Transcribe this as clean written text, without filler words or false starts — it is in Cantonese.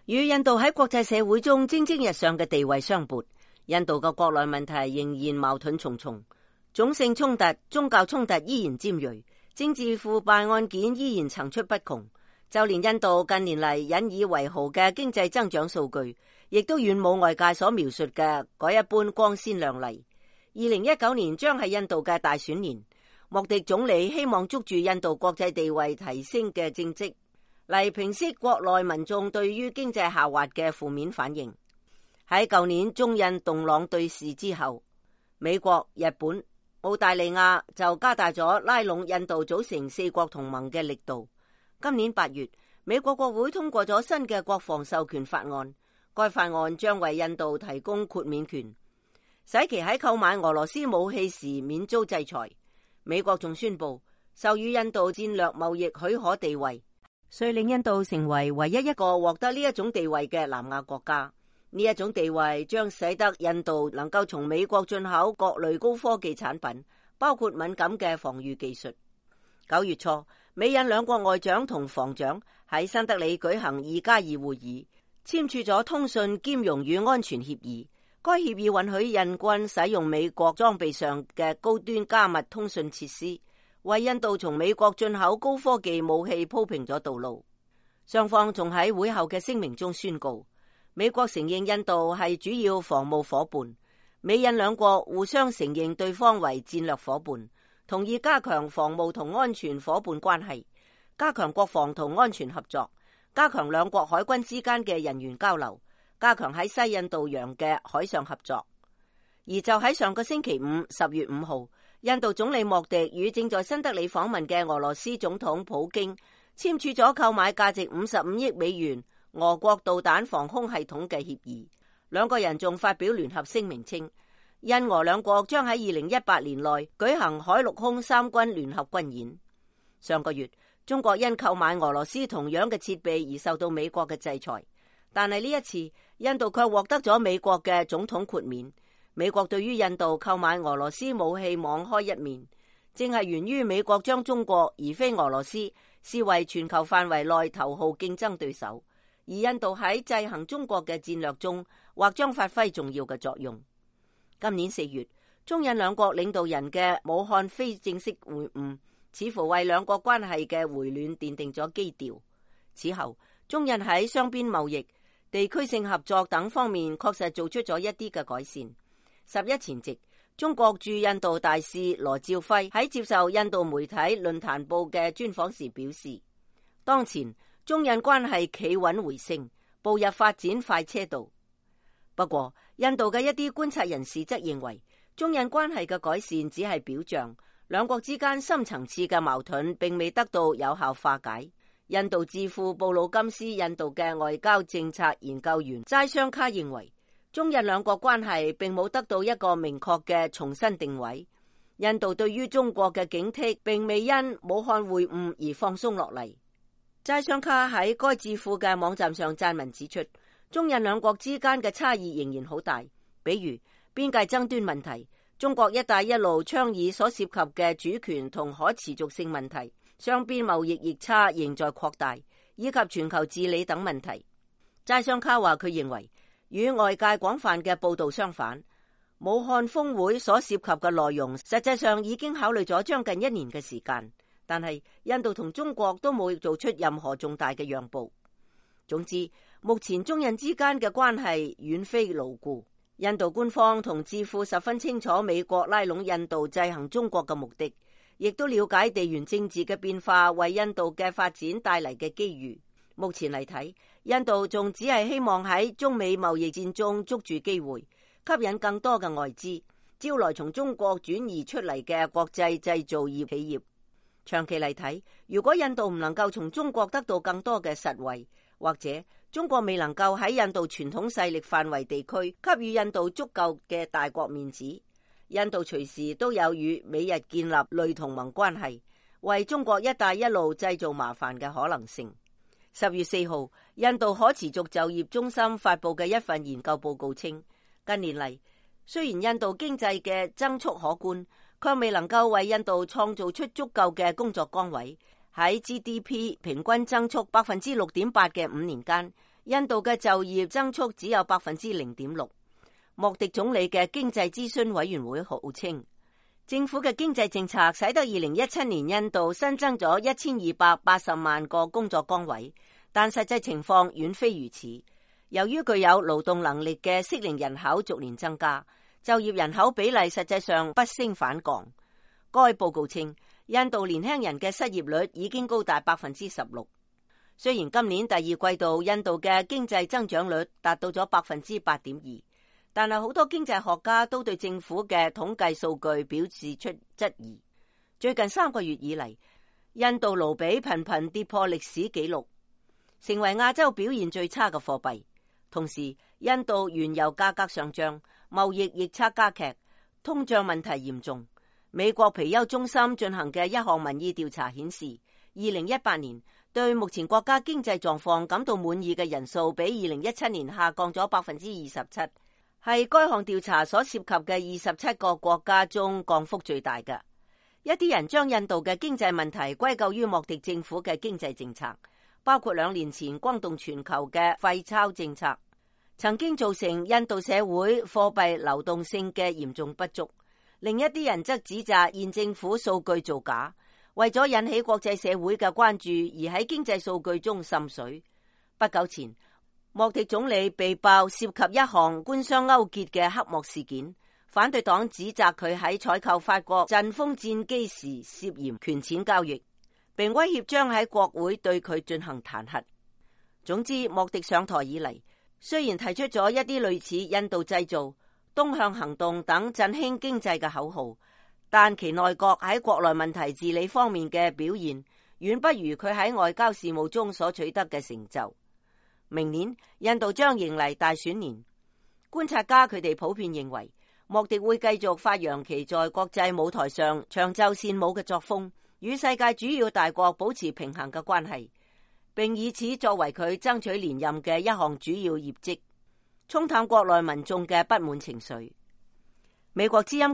與印度喺國際社會中蒸蒸日上嘅地位相悖，印度嘅國內問題仍然矛盾重重，種姓衝突、宗教衝突依然尖銳，政治腐敗案件依然層出不窮。就連印度近年嚟引以為豪嘅經濟增長數據，亦都遠冇外界所描述嘅嗰一般光鮮亮麗。2019年將係印度嘅大選年，莫迪總理希望捉住印度國際地位提升嘅政績，嚟平息國內民眾對於經濟下滑嘅負面反應。喺舊年中印動盪對峙之後，美國、日本、澳大利亞就加大咗拉攏印度組成四國同盟嘅力度。今年8月，美國國會通過咗新嘅國防授權法案，該法案將為印度提供豁免權，使其喺購買俄羅斯武器時免遭制裁。美國仲宣布授予印度戰略貿易許可地位，遂令印度成為唯一一個獲得呢一種地位嘅南亞國家。呢一種地位將使得印度能夠從美國進口各類高科技產品，包括敏感嘅防禦技術。9月初，美印兩國外長同防長喺新德里舉行2+2會議，簽署咗通訊兼容與安全協議。該協議允許印軍使用美國裝備上嘅高端加密通訊設施，為印度從美國進口高科技武器鋪平咗道路。雙方仲喺會後嘅聲明中宣告，美國承認印度係主要防務夥伴，美印兩國互相承認對方為戰略夥伴，同意加強防務同安全夥伴關係，加強國防同安全合作，加強兩國海軍之間嘅人員交流，加強喺西印度洋嘅海上合作。而就喺上個星期五10月5號，印度總理莫迪與正在新德里訪問嘅俄羅斯總統普京簽署咗購買價值55億美元俄國導彈防空系統嘅協議。兩個人仲發表聯合聲明稱，印俄兩國將喺2018年內舉行海陸空三軍聯合軍演。上個月，中國因購買俄羅斯同樣嘅設備而受到美國嘅制裁，但係呢一次，印度卻獲得咗美國嘅總統豁免。美國對於印度購買俄羅斯武器網開一面，正係源於美國將中國而非俄羅斯視為全球範圍內頭號競爭對手，而印度喺制衡中國嘅戰略中或將發揮重要嘅作用。今年4月，中印兩國領導人嘅武漢非正式會晤，似乎為兩國關係嘅回暖奠定咗基調。此後，中印喺雙邊貿易、地區性合作等方面確實做出咗一啲嘅改善。11前夕，中國駐印度大使羅兆輝喺接受印度媒體論壇報嘅專訪時表示，當前中印關係企穩回升，步入發展快車道。不過，印度嘅一啲觀察人士則認為，中印關係嘅改善只係表象，兩國之間深層次嘅矛盾並未得到有效化解。印度智庫布魯金斯印度嘅外交政策研究員齋商卡認為，中印兩國關係並冇得到一個明確嘅重新定位。印度對於中國嘅警惕並未因武漢會晤而放鬆落嚟。齋商卡喺該智庫嘅網站上撰文指出，中印兩國之間嘅差異仍然好大，比如邊界爭端問題、中國一帶一路倡議所涉及嘅主權同可持續性問題、雙邊貿易逆差仍在擴大，以及全球治理等問題。齋商卡話佢認為，與外界廣泛嘅報道相反，武漢峰會所涉及嘅內容實際上已經考慮咗將近1年嘅時間，但係印度同中國都冇做出任何重大嘅讓步。總之，目前中印之間嘅關係遠非牢固。印度官方同智庫十分清楚美國拉攏印度制衡中國嘅目的，亦都了解地緣政治嘅變化為印度嘅發展帶嚟嘅機遇。目前嚟睇，印度仲只係希望喺中美貿易戰中捉住機會，吸引更多嘅外資，招來從中國轉移出嚟嘅國際製造業企業。長期嚟睇，如果印度唔能夠從中國得到更多嘅實惠，或者中國未能夠喺印度傳統勢力範圍地區給予印度足夠嘅大國面子，印度隨時都有與美日建立類同盟關係，為中國一帶一路製造麻煩嘅可能性。10月4號，印度可持續就業中心發佈嘅一份研究報告稱，近年嚟，雖然印度經濟嘅增速可觀，卻未能夠為印度創造出足夠嘅工作崗位。喺 GDP 平均增速6.8%嘅5年間，印度嘅就業增速只有 0.6%。莫迪總理嘅經濟諮詢委員會號稱，政府嘅經濟政策使得2017年印度新增咗1280萬個工作崗位，但實際情況遠非如此。由於具有勞動能力嘅適齡人口逐年增加，就業人口比例實際上不升反降。該報告稱，印度年輕人嘅失業率已經高達 16%。雖然今年第二季度印度嘅經濟增長率達到咗 8.2%， 但係好多經濟學家都對政府嘅統計數據表示出質疑。最近3個月以嚟，印度盧比頻頻跌破歷史紀錄，成為亞洲表現最差嘅貨幣。同時，印度原油價格上漲，貿易逆差加劇，通脹問題嚴重。美國皮尤中心進行嘅一項民意調查顯示，2018年對目前國家經濟狀況感到滿意嘅人數比2017年下降咗 27%， 係該項調查所涉及嘅27個國家中降幅最大嘅。一啲人將印度嘅經濟問題歸咎於莫迪政府嘅經濟政策，包括2年前轟動全球嘅廢鈔政策，曾經造成印度社會貨幣流動性嘅嚴重不足。另一啲人則指責現政府數據造假，為咗引起國際社會嘅關注而喺經濟數據中滲水。不久前，莫迪總理被爆涉及一項官商勾結嘅黑幕事件，反對黨指責佢喺採購法國陣風戰機時涉嫌權錢交易，並威脅將喺國會對佢進行彈劾。總之，莫迪上台以嚟，雖然提出咗一啲類似印度製造、東向行動等振興經濟嘅口號，但其內閣喺國內問題治理方面嘅表現遠不如佢喺外交事務中所取得嘅成就。明年印度將迎嚟大選年，觀察家佢哋普遍認為，莫迪會繼續發揚其在國際舞台上長袖善舞嘅作風，與世界主要大國保持平衡嘅關係，並以此作為佢爭取連任嘅一項主要業績，沖淡國內民眾嘅不滿情緒。美國之音